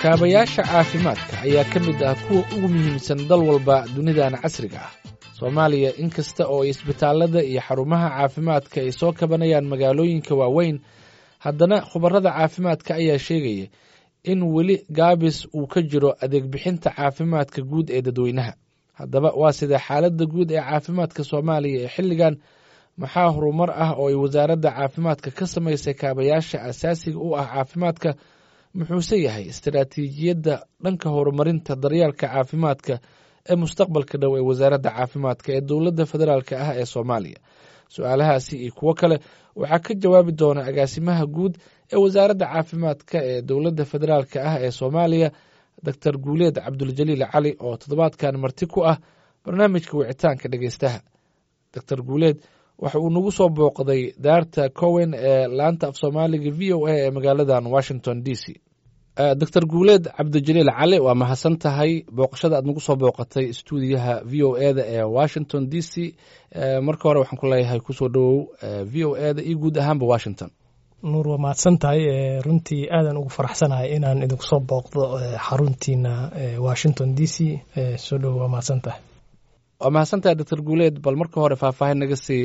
Kaabayaasha caafimaadka ayaa ka mid ah kuwa ugu muhiimsan dal walba dunidan casriga ah. Soomaaliya, inkasta oo ay isbitaallada iyo xarumaha caafimaadka ay soo kabanayaan magaalooyinka waaweyn, haddana khubarada caafimaadka ayaa sheegaya in weli gaabis uu ka jiro adeeg bixinta caafimaadka guud ee dadweynaha. Haddaba, waa sidee xaaladda guud ee caafimaadka Soomaaliya ee xilligan? Maxaa horumar ah oo ay wasaaradda caafimaadka ka samaysay kaabayaasha asaasiga u ah caafimaadka? Muxuuse yahay istaraatiijiyadda dhanka horumarinta daryeelka caafimaadka ee mustaqbalka dhow ee wasaaradda caafimaadka ee dowladda federaalk ah ee Soomaaliya? Su-aalahaasi iyo kuwo kale waxaa ka jawaabi doona agaasimaha guud ee wasaaradda caafimaadka ee dowladda federaalk ah ee Soomaaliya, Doctor Guuleed Cabduljaliil Cali, oo toddobaadkan marti ku ah barnaamijka wicitaanka dhegeystaha. Doctor Guuleed waxa uu nagu soo booqday daarta Cowen ee laanta af Soomaaliga VOA ee magaaladan Washington DC. Doctor Guuleed Cabdijaliil Cali, waa mahadsan tahay booqashada aad nagu soo booqatay stuudiyaha VOA da ee Washington DC. Marka hore waxaan ku leeyahay kusoo dhowow VOA da iyo guud ahaanba Washington. Nuur, waa mahadsan tahay. Runtii aadan ugu faraxsanahay inaan idinku soo booqdo xaruntiina Washington DC. Soo dhowow, waa mahadsan tahay. Waa mahadsantahay, Doctor Guuleed. Bal marka hore faahfaahin naga sii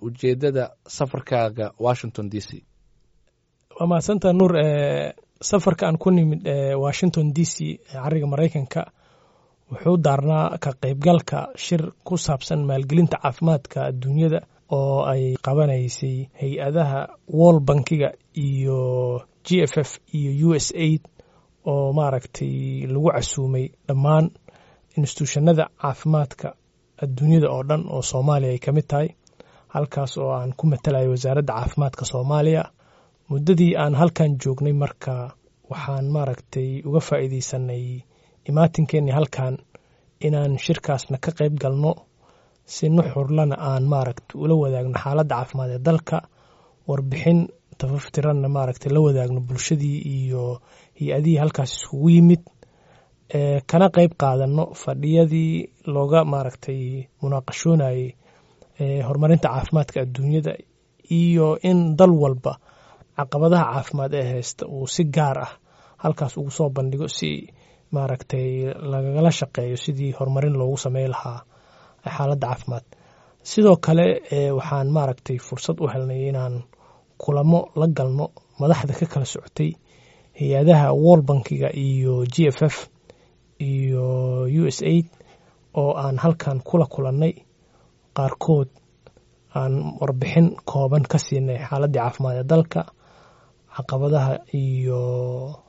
ujeedada safarkaaga Washington DC. Waa mahadsantahay, Nuur. Safarka aan ku nimid Washington DC, cariga Maraykanka, wuxuu daarnaa ka qaybgalka shir ku saabsan maalgelinta caafimaadka adduunyada oo ay qabanaysay hay-adaha World Bankiga iyo GFF iyo USAID, oo maaragtay lagu casuumay dhammaan instituushanada caafimaadka adduunyada oo dhan oo Soomaaliya ay ka mid tahay, halkaas oo aan ku matalayo wasaaradda caafimaadka Soomaaliya. Muddadii aan halkan joognay marka waxaan maaragtay uga faa'iidaysanay imaatinkeennii halkan inaan shirkaasna ka qayb galno, si nuxurlana aan maaragtay ula wadaagno xaaladda caafimaad ee dalka, warbixin tafaftiranna maaragtay la wadaagno bulshadii iyo hay-adihii halkaas iskugu yimid, kana qayb qaadano fadhiyadii looga maaragtay munaaqashoonayay horumarinta caafimaadka adduunyada iyo in dal walba caqabadaha caafimaad ee haysta uu si gaar ah halkaas ugu soo bandhigo, si maaragtay lagala shaqeeyo sidii horumarin loogu sameyn lahaa xaaladda caafimaad. Sidoo kale waxaan maaragtay fursad u helnay inaan kulamo la galno madaxda ka kala socotay hay-adaha World Bankiga iyo GFF iyo USAID, oo aan halkan kula kulannay, qaarkood aan warbixin kooban ka siinay xaaladdii caafimaad ee dalka, caqabadaha iyo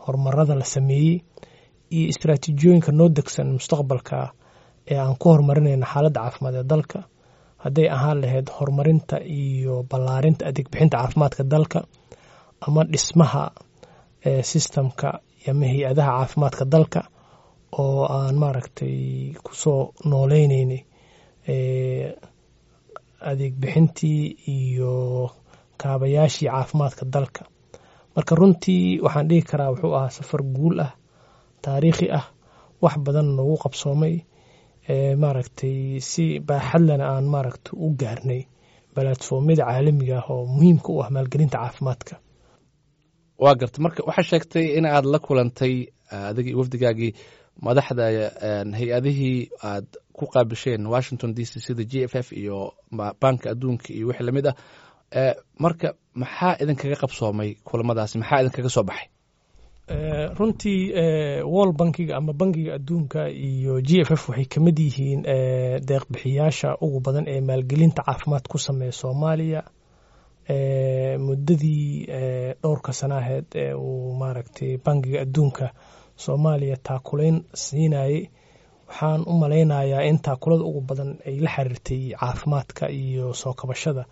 horumarada la sameeyey iyo istaraatiijiyooyinka noo degsan mustaqbalka ee aan ku horumarinayno xaaladda caafimaad ee dalka, hadday ahaan lahayd horumarinta iyo ballaarinta adeeg bixinta caafimaadka dalka ama dhismaha systemka ama hay-adaha caafimaadka dalka oo aan maaragtay kusoo nooleynay adeeg bixintii iyo kaabayaashii caafimaadka dalka. Marka runtii waxaan dhihi karaa wuxuu ahaa safar guul ah, taariikhi ah, wax badan noogu qabsoomay, maaragtay si baaxadlana aan maaragtay u gaarnay platformyada caalamiga ah oo muhiimka u ah maalgelinta caafimaadka. Waa garta. Marka waxaa sheegtay in aad la kulantay adigii wafdigaagii madaxda hay-adihii aad ku qaabisheen Washington DC, sida GFF iyo Banka Adduunka iyo wixii lamid ah. Marka maxaa idinkaga qabsoomay kulamadaasi? Maxaa idinkaga soo baxay? Runtii World Bankiga ama Bankiga Adduunka iyo GFF waxay ka mid yihiin deeqbixiyaasha ugu badan ee maalgelinta caafimaad ku sameeya Soomaaliya muddadii dhowrka sana aheyd ee uu maaragtay Bankiga Adduunka Soomaaliya taakulayn siinayay. Waxaan u malaynayaa in taakulada ugu badan ay la xiriirtay caafimaadka iyo soo kabashada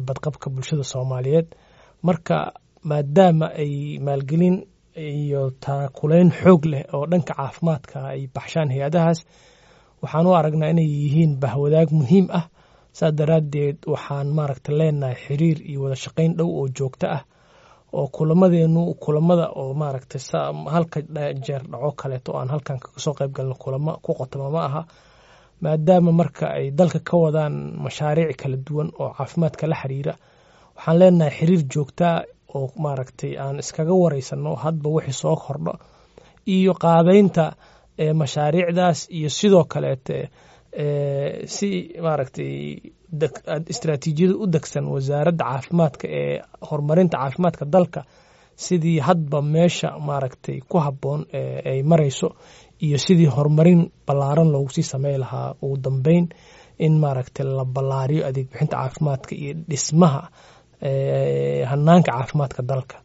badqabka bulshada Soomaaliyeed. Marka maadaama ay maalgelin iyo taakulayn xoog leh oo dhanka caafimaadka ay baxshaan hay-adahaas, waxaan u aragnaa inay yihiin bahwadaag muhiim ah. Saas daraaddeed waxaan maaragta leenahay xiriir iyo wada shaqayn dhow oo joogto ah, oo kulamadeenu kulamada oo maaragtay halka jeer dhaco kaleeto oo aan halkan kaga soo qayb galno kulamo ku qotoma ma aha. Maadaama marka ay dalka ka wadaan mashaariic kala duwan oo caafimaadka la xiriira, waxaan leenahay xiriir joogtaa oo maaragtay aan iskaga wareysano hadba wixii soo kordho. Iyo qaabeynta mashaariicdaas iyo sidoo kaleete si maaragtay istraatiijiyada u degsan wasaaradda caafimaadka ee horumarinta caafimaadka dalka, sidii hadba meesha maaragtay ku habboon ay marayso iyo sidii horumarin ballaaran loogu sii samey lahaa, ugu dambeyn in maaragtay la ballaariyo adeeg bixinta caafimaadka iyo dhismaha hanaanka caafimaadka dalka.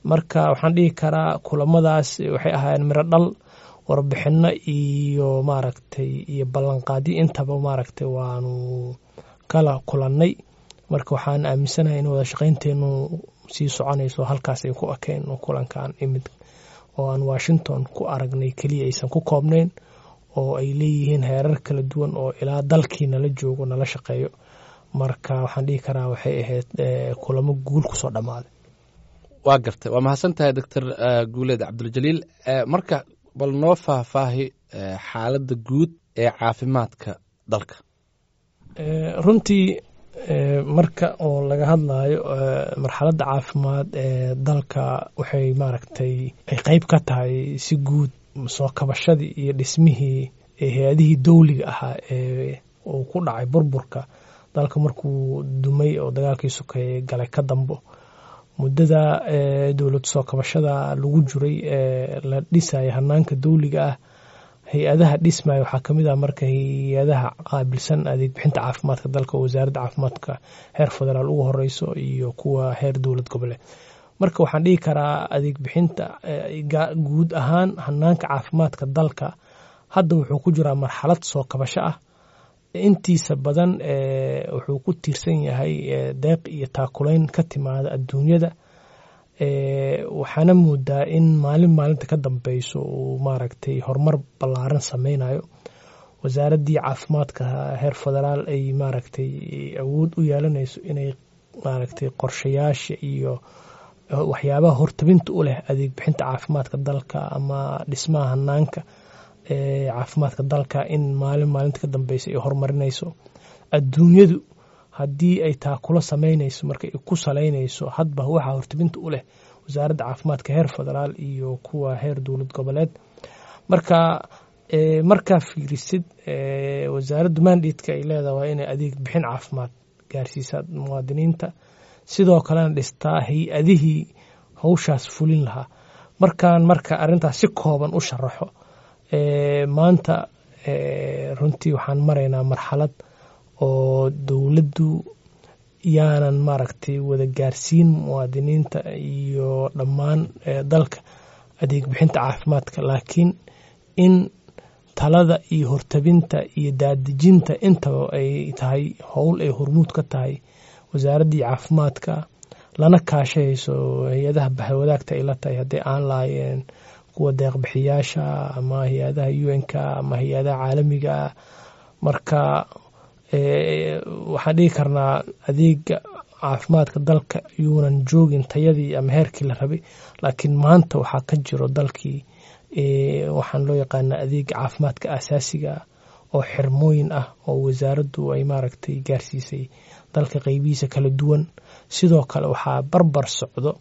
Marka waxaan dhihi karaa kulamadaas waxay ahaayeen miro dhal, warbixino iyo maaragtay iyo ballanqaadyo intaba maaragtay waanu kala kulannay. Marka waxaan aaminsanahay in wada shaqaynteenu sii soconayso, halkaas ay ku ekeen kulankan imid oo aan Washington ku aragnay keliya aysan ku koobnayn, oo ay leeyihiin heerar kala duwan oo ilaa dalkii nala joogo nala shaqeeyo. Marka waxaan dhihi karaa waxay ahayd kulamo guul kusoo dhammaaday. Waa gartay, waa mahadsan tahay, Doctor Guuleed Cabduljaliil. Marka bal noo faahfaahi xaaladda guud ee caafimaadka dalka. Runtii marka oo laga hadlayo marxaladda caafimaad ee dalka, waxay maaragtay ay qeyb ka tahay si guud soo kabashadii iyo dhismihii hay-adihii dowliga ahaa ee uu ku dhacay burburka dalka markuu dumay oo dagaalkii sokeeye galay ka dambo. Muddada dowlad soo kabashada lagu jiray ee la dhisaya hanaanka dowliga ah, hay-adaha dhismaya waxaa kamid ah marka hay-adaha qaabilsan adeeg bixinta caafimaadka dalka oo wasaaradda caafimaadka heer federaal ugu horeyso iyo kuwa heer dowlad goboleed. Marka waxaan dhihi karaa adeeg bixinta guud ahaan hanaanka caafimaadka dalka hadda wuxuu ku jiraa marxalad soo kabasho ah. Intiisa badan wuxuu ku tiirsan yahay deeq iyo taakulayn ka timaada adduunyada. Waxaana moodaa in maalin maalinta ka dambeyso uu maaragtay horumar ballaaran sameynayo. Wasaaraddii caafimaadka heer federaal ay maaragtay awood u yeelanayso inay maaragtay qorshayaasha iyo waxyaabaha hortabinta u leh adeeg bixinta caafimaadka dalka ama dhismaha hanaanka caafimaadka dalka in maalin maalinta ka dambeysa ay horumarinayso. Adduunyadu haddii ay taakulo sameynayso, marka ay ku saleynayso hadba waxaa hortabinta u leh wasaaradda caafimaadka heer federaal iyo kuwa heer dowlad goboleed. Marka markaa fiirisid, wasaaraddu mandate-ka ay leedahay waa inay adeeg bixin caafimaad gaarsiisaa muwaadiniinta, sidoo kalena dhistaa hay-adihii howshaas fulin lahaa. Markaan marka arrintaas si kooban u sharaxo, maanta runtii waxaan maraynaa marxalad oo dowladdu yaanan maaragtay wada gaarsiin muwaadiniinta iyo dhammaan dalka adeeg bixinta caafimaadka, laakiin in talada iyo hortabinta iyo daadejinta intaba ay tahay howl ay hormuud ka tahay wasaaraddii caafimaadka, lana kaashahayso hay-adaha bahwadaagta ay la tahay, haddii aan lahaayeen kuwa deeqbixiyaasha ama hay-adaha UN-ka ama hay-adaha caalamiga. Marka waxaan dhihi karnaa adeega caafimaadka dalka yuunan joogin tayadii ama heerkii la rabay, laakiin maanta waxaa ka jiro dalkii waxaan loo yaqaanaa adeega caafimaadka asaasiga oo xirmooyin ah oo wasaaraddu ay maaragtay gaarsiisay dalka qeybihiisa kala duwan. Sidoo kale waxaa barbar socdo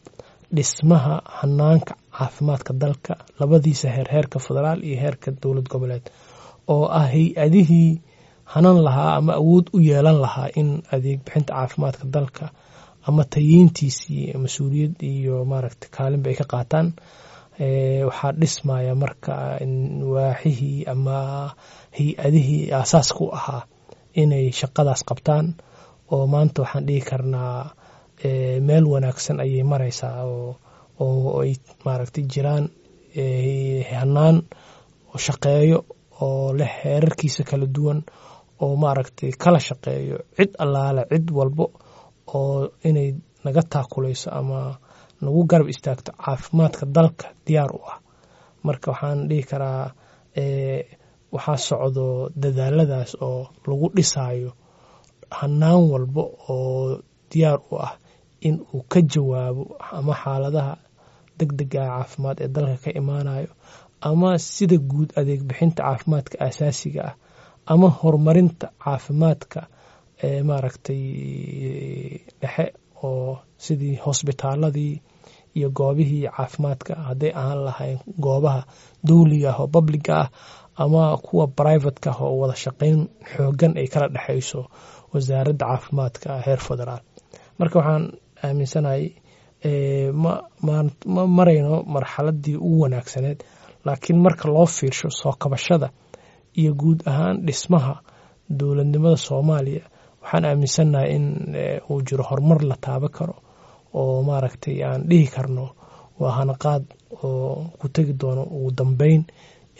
dhismaha hanaanka caafimaadka dalka labadiisa heer, heerka federaal iyo heerka dowlad goboleed, oo ah hay-adihii hanan lahaa ama awood u yeelan lahaa in adeeg bixinta caafimaadka dalka ama tayeyntiisii mas-uuliyad iyo maaragtay kaalinba ay ka qaataan. Waxaa dhismaya marka waaxihii ama hay-adihii aasaaska u ahaa inay shaqadaas qabtaan, oo maanta waxaan dhihi karnaa meel wanaagsan ayay maraysaa oo ay maaragtay jiraan hanaan shaqeeyo oo leh heerarkiisa kala duwan oo maaragtay kala shaqeeyo cid allaale cid walbo oo inay naga taakulayso ama nagu garab istaagto caafimaadka dalka diyaar u ah. Marka waxaan dhihi karaa waxaa socdo dadaaladaas oo lagu dhisaayo hanaan walbo oo diyaar u ah in uu ka jawaabo ama xaaladaha degdega caafimaad ee dalka ka imaanayo ama sida guud adeeg bixinta caafimaadka asaasiga ah ama horumarinta caafimaadka ee maaragtay dhexe oo sidii hosbitaaladii. iyo goobihii caafimaadka, hadday ahaan lahayn goobaha dowliga ah oo publiga ah ama kuwa privateka ah oo wada shaqeyn xoogan ay kala dhexeyso wasaaradda caafimaadka heer federaal. Marka waxaan aaminsanahay ma marayno marxaladii ugu wanaagsaneed, laakiin marka loo fiirsho soo kabashada iyo guud ahaan dhismaha dowladnimada Soomaaliya, waxaan aaminsannahay in uu jiro horumar la taaban karo oo maaragtay aan dhihi karno waa hanaqaad oo ku tegi doono ugu dambeyn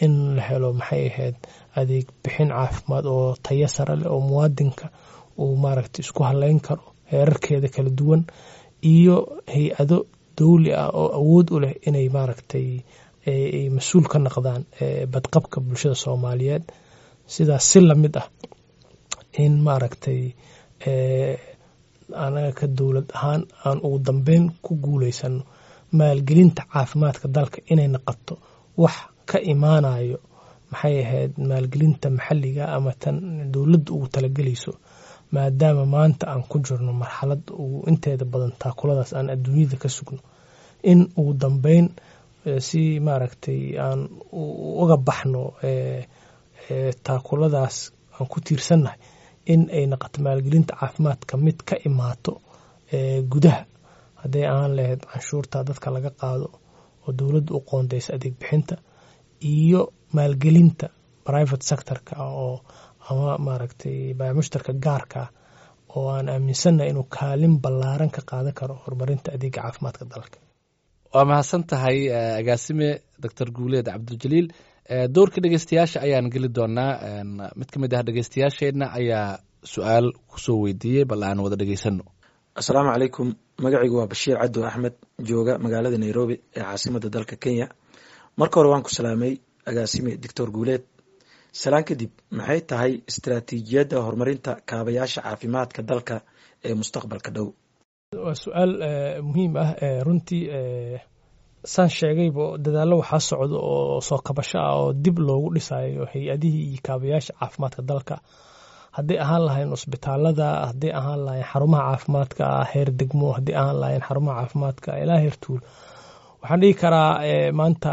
in la helo maxay ahayd adeeg bixin caafimaad oo tayo sare leh oo muwaadinka uu maaragtay isku haleyn karo heerarkeeda kala duwan, iyo hay-ado dowli ah oo awood u leh inay maaragtay ay mas-uul ka noqdaan badqabka bulshada Soomaaliyeed. Sidaas si lamid ah in maaragtay anaga ka dowlad ahaan aan ugu dambeyn ku guuleysano maalgelinta caafimaadka dalka inay noqoto wax ka imaanayo maxay ahayd maalgelinta maxalliga ama tan dowladda ugu talagelayso, maadaama maanta aan ku jirno marxalad ugu inteeda badan taakuladaas aan adduunyada ka sugno, in ugu dambeyn si maaragtay aan uga baxno taakuladaas aan ku tiirsannahay, in ay noqoto maalgelinta caafimaadka mid ka imaato gudaha, hadday ahaan lahayd canshuurta dadka laga qaado oo dowladda u qoondeysa adeeg bixinta, iyo maalgelinta private sectorka oo ama maaragtay baamushtarka gaarka oo aan aaminsannahay inuu kaalin ballaaran ka qaadan karo horumarinta adeega caafimaadka dalka. Waa mahadsan tahay agaasime Doctor Guuleed Cabdiljaliil. Doorka dhegeystayaasha ayaan geli doonaa. Mid ka mid ah dhegeystayaasheenna ayaa su-aal kusoo weydiiyey, bal aan wada dhegeysano. Asalaamu calaykum, magacaygu waa Bashiir Cabdo Axmed, jooga magaalada Nairobi ee caasimada dalka Kenya. Marka hore waan ku salaamay agaasime Doctor Guuleed. Salaan kadib, maxay tahay istaraatiijiyadda horumarinta kaabayaasha caafimaadka dalka ee mustaqbalka dhow? Waa su-aal muhiim ah runtii. Saan sheegayba, dadaallo waxaa socda oo soo kabasho ah oo dib loogu dhisayo hay-adihii iyo kaabayaasha caafimaadka dalka, hadday ahaan lahayn cusbitaalada, hadday ahaan lahayn xarumaha caafimaadka heer degmo, hadday ahaan lahayn xarumaha caafimaadka ilaa heer tuul. Waxaan dhihi karaa maanta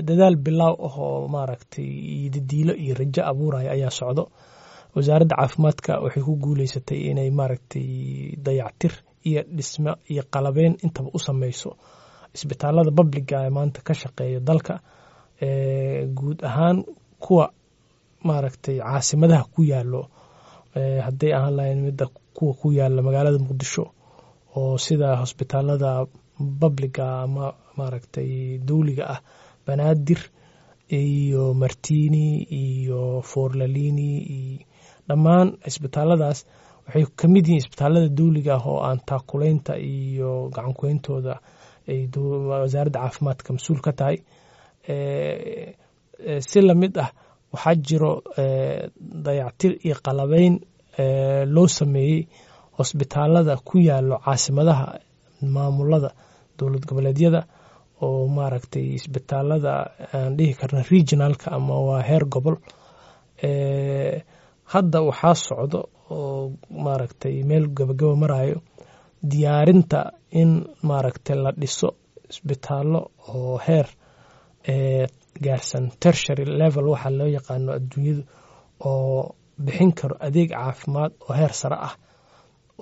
dadaal bilaaw ah oo maaragtay iyo didiilo iyo rajo abuuraya ayaa socdo. Wasaaradda caafimaadka waxay ku guuleysatay inay maaragtay dayactir iyo dhismo iyo qalabeyn intaba u sameyso isbitaalada publiga ee maanta ka shaqeeya dalka, guud ahaan kuwa maaragtay caasimadaha ku yaalo, hadday ahaan lahayn midda kuwa ku yaala magaalada Muqdisho oo sida hosbitaalada publiga ama maaragtay dowliga ah Banaadir iyo Martini iyo Forlalini, iyo dhammaan isbitaaladaas waxay ka mid yihiin isbitaalada dowliga ah oo aan taakuleynta iyo gacankuyntooda ay wasaaradda caafimaadka mas-uul ka tahay. Si lamid ah waxaa jiro dayactir iyo qalabeyn loo sameeyey hosbitaalada ku yaalo caasimadaha maamulada dowlad goboleedyada oo maaragtay isbitaalada aan dhihi karna regionalka ama waa heer gobol. Hadda waxaa socdo oo maaragtay meel gabagaba marayo diyaarinta in maaragtay la dhiso isbitaallo oo heer gaarsan tertiary level waxaa loo yaqaano adduunyadu, oo bixin karo adeeg caafimaad oo heer sare ah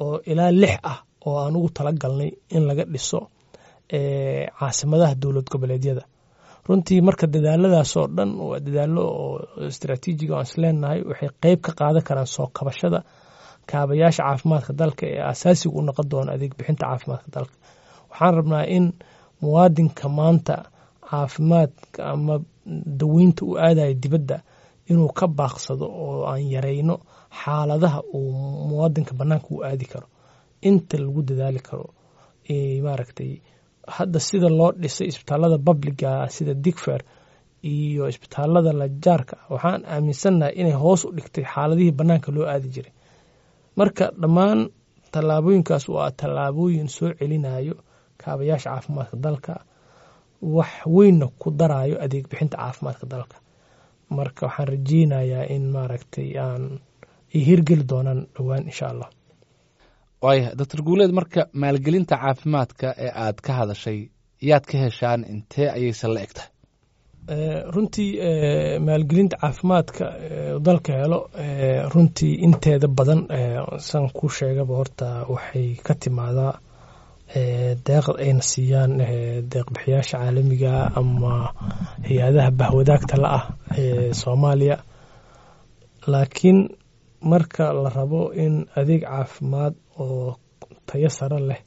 oo ilaa 6 ah oo aan ugu tala galnay in laga dhiso caasimadaha dowlad goboleedyada. Runtii marka dadaaladaas oo dhan waa dadaallo oo istraatiijiga aan isleenahay waxay qeyb ka qaadan karaan soo kabashada kaabayaasha caafimaadka dalka ee asaasiga u noqon doona adeeg bixinta caafimaadka dalka. Waxaan rabnaa in muwaadinka maanta caafimaadka ama daweynta u aadaya dibadda inuu ka baaqsado oo aan yareyno xaaladaha uu muwaadinka bannaanka u aadi karo inta lagu dadaali karo. Maaragtay hadda sida loo dhisay isbitaalada publiga sida Digfer iyo isbitaalada lajaarka, waxaan aaminsannahay inay hoos u dhigtay xaaladihii bannaanka loo aadi jiray. Marka dhammaan tallaabooyinkaas waa tallaabooyin soo celinayo kaabayaasha caafimaadka dalka, wax weynna ku darayo adeeg bixinta caafimaadka dalka. Marka waxaan rajeynayaa in maaragtay aan ay hirgeli doonaan dhowaan insha Allah. Waaya, Doctor Guuleed, marka maalgelinta caafimaadka ee aad ka hadashay Yaad ka heshaan? Intee ayayse la eg tahay? Runtii maalgelinta caafimaadka dalka helo runtii inteeda badan, san ku sheegaba, horta waxay ka timaadaa deeqda ayna siiyaan deeqbixiyaasha caalamiga ama hay-adaha bahwadaagta la ah ee Soomaaliya. Laakiin marka la rabo in adeeg caafimaad oo tayo sare leh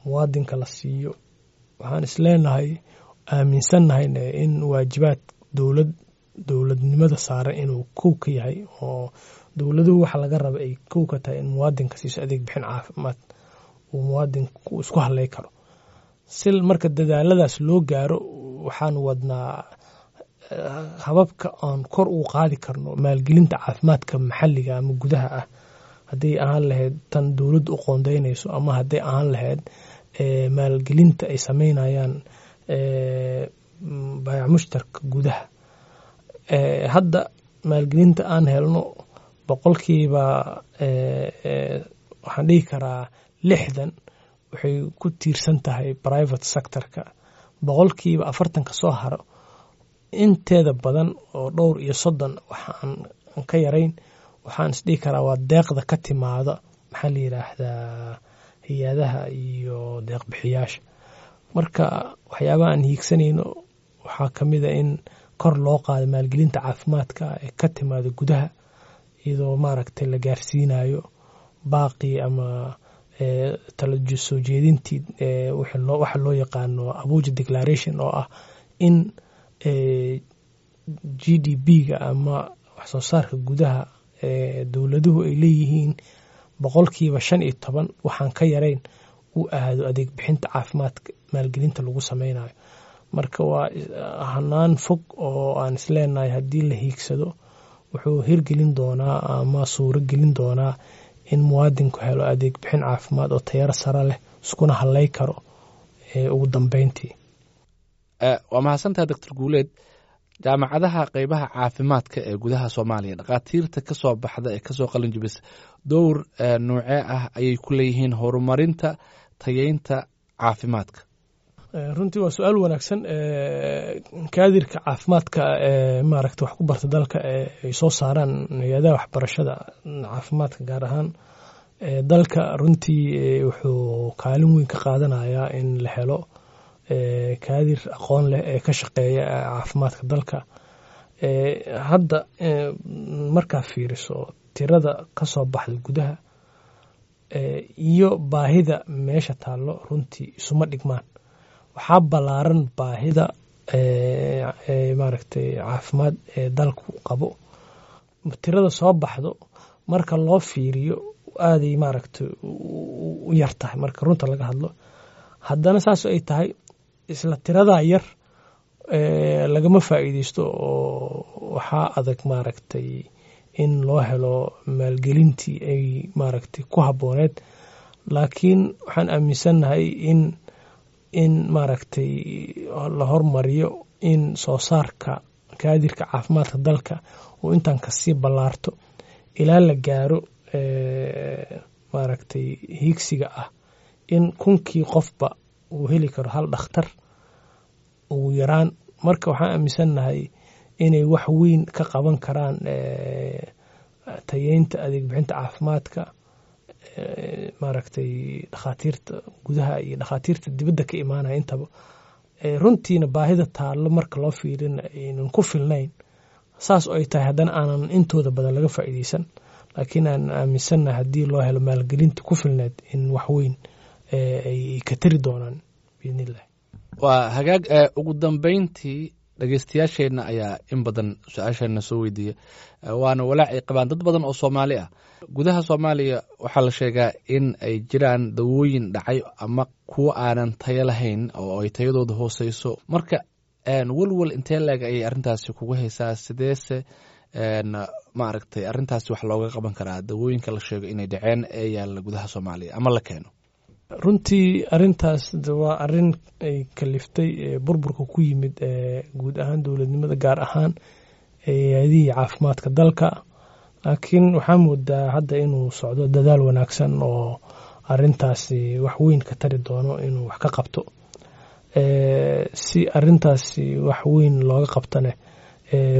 muwaadinka la siiyo, waxaan isleenahay, aaminsannahayna in waajibaad dowlad dowladnimada saaran inuu kow ka yahay, oo dowladuhu waxa laga raba ay kow ka tahay in muwaadinka siiso adeeg bixin caafimaad uu muwaadinku isku haley karo. Si marka dadaaladaas loo gaaro, waxaan wadnaa hababka aan kor ugu qaadi karno maalgelinta caafimaadka maxalliga ama gudaha ah, hadday ahaan lahayd tan dowladdu u qoondeynayso ama hadday ahaan lahayd maalgelinta ay sameynayaan baayac mushtarka gudaha. Hadda maalgelinta aan helno boqolkiiba, waxaan dhihi karaa, 60 waxay ku tiirsan tahay private sectorka. 40% soo haro, inteeda badan oo dhowr iyo 30 waxaan ka yarayn, waxaan isdhihi karaa waa deeqda ka timaada, maxaa la yidhaahdaa, hay-adaha iyo deeqbixiyaasha. Marka waxyaabaha aan hiigsanayno waxaa ka mid a in kor loo qaado maalgelinta caafimaadka ee ka timaada gudaha, iyadoo maaragtay la gaarsiinayo baaqii ama tala soo jeedintii waxa loo yaqaano Abuja Declaration, oo ah in GDP-ga ama wax soo saarka gudaha ee dowladuhu ay leeyihiin 15% waxaan ka yarayn uu aado adeeg bixinta caafimaadka maalgelinta lagu sameynayo. Marka waa hanaan fog oo aan isleenahay haddii la hiigsado wuxuu hirgelin doonaa ama suuro gelin doonaa in muwaadinku helo adeeg bixin caafimaad oo tayaro sare leh, iskuna haley karo ugu dambeyntii. Waa mahadsantaha, Doctor Guuleed. Jaamacadaha qeybaha caafimaadka ee gudaha Soomaaliya, dhakhaatiirta kasoo baxda ee kasoo qalin jibisa, dowr noocee ah ayay ku leeyihiin horumarinta tayeynta caafimaadka? Runtii waa su-aal wanaagsan. Kaadirka caafimaadka ee maaragta wax ku barta dalka ee ay soo saaraan hay-adaha waxbarashada caafimaadka, gaar ahaan dalka, runtii wuxuu kaalin weyn ka qaadanayaa in la helo kaadir aqoon leh ee ka shaqeeya caafimaadka dalka. Hadda markaa fiiriso tirada kasoo baxda gudaha iyo baahida meesha taallo, runtii isuma dhigmaan. Waxaa ballaaran baahida maaragtay caafimaad ee dalku qabo. Tirada soo baxdo marka loo fiiriyo aaday maaragtay u yar tahay marka runta laga hadlo. Haddana saas ay tahay, isla tiradaa yar lagama faa'iideysto, oo waxaa adag maaragtay in loo helo maalgelintii ay maaragtay ku habbooneed. Laakiin waxaan aaminsannahay in maaragtay la hormariyo in soo saarka kaadirka caafimaadka dalka uu intaan kasii ballaarto ilaa la gaaro maaragtay hiigsiga ah in 1000kii qofba uu heli karo hal dhakhtar ugu yaraan. Marka waxaan aaminsannahay inay wax weyn ka qaban karaan tayeynta adeeg bixinta caafimaadka maaragtay dhakhaatiirta gudaha iyo dhakhaatiirta dibadda ka imaanaya intaba. Runtiina baahida taallo marka loo fiirina aynan ku filnayn. Saas oo ay tahay, haddana aanan intooda badan laga faa'iideysan, laakiin aan aaminsannahay haddii loo helo maalgelinta ku filneed in wax weyn ay ka tari doonaan, biidnillahi. Waa hagaag. Ugu dambeyntii, dhegeystayaasheenna ayaa in badan su-aasheena soo weydiiya, waana walaac ay qabaan dad badan oo Soomaali ah. Gudaha Soomaaliya waxaa la sheegaa in ay jiraan dawooyin dhacay ama kuwo aanan tayo lahayn oo ay tayadooda hooseyso. Marka welwel intee leeg ayay arrintaasi kugu haysaa? Sideese maaragtay arrintaasi wax looga qaban karaa, dawooyinka la sheego inay dhaceen ee yaalla gudaha Soomaaliya ama la keeno? Runtii arrintaas waa arrin ay kaliftay burburka ku yimid guud ahaan dowladnimada, gaar ahaan hay-adihii caafimaadka dalka. Laakiin waxaa moodaa hadda inuu socdo dadaal wanaagsan oo arrintaasi wax weyn ka tari doono inuu wax ka qabto. Si arintaasi wax weyn looga qabtane,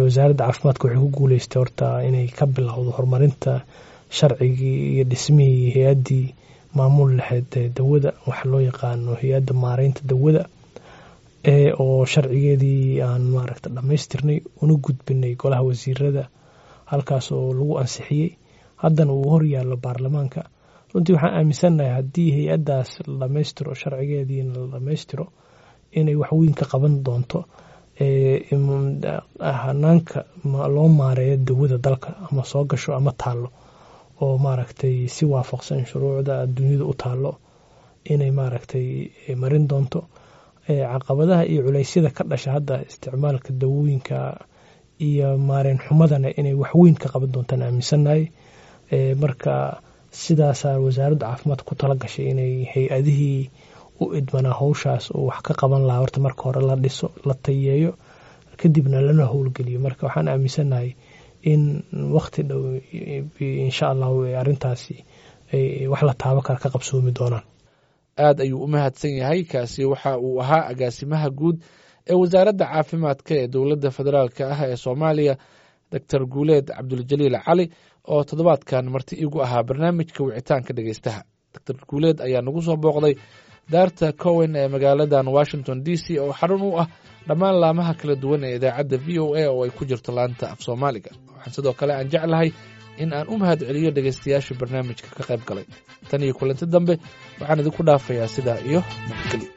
wasaaradda caafimaadka waxay ku guuleystay horta inay ka bilowdo horumarinta sharcigii iyo dhismihii hay-addii maamul lahayd dawada, waxa loo yaqaano hay-adda maareynta dawada, oo sharcigeedii aan maaragta dhammaystirnay una gudbinay golaha wasiirada, halkaas oo lagu ansixiyey, haddana uu hor yaallo baarlamaanka. Runtii waxaan aaminsannahay haddii hay-addaas la dhammaystiro, sharcigeediina la dhammaystiro, inay waxweyn ka qaban doonto hanaanka loo maareeyo dawada dalka ama soo gasho ama taallo, oo maaragtay si waafaqsan shuruucda adduunyada u taallo inay maaragtay marin doonto caqabadaha iyo culeysyada ka dhasha hadda isticmaalka dawooyinka iyo maareen xumadana, inay waxweyn ka qaban doontaan aaminsannahay. Marka sidaasaa wasaaradda caafimaadka ku tala gashay inay hay-adihii u idmanaa howshaas oo wax ka qaban lahaa horta marka hore la dhiso, la tayeeyo, kadibna lana howlgeliyo. Marka waxaan aaminsannahay in waqti dhow, insha Allahu, arrintaasi wax la taabo kara ka qabsoomi doonaan. Aad ayuu u mahadsan yahay. Kaasi waxa uu ahaa agaasimaha guud ee wasaaradda caafimaadka ee dowladda federaalka ah ee Soomaaliya, Doctor Guuleed Cabduljaliil Cali, oo toddobaadkan marti igu ahaa barnaamijka wicitaanka dhegeystaha. Doctor Guuleed ayaa nagu soo booqday daarta Cowen ee magaaladan Washington DC, oo xarun u ah dhammaan laamaha kala duwan ee idaacadda VOA, oo ay ku jirto laanta af Soomaaliga. Waxaan sidoo kale aan jeclahay in aan u mahad celiyo dhegeystayaasha barnaamijka ka qayb galay. Tan iyo kulanti dambe, waxaan idinku dhaafayaa sidaa iyo nabadgelyo.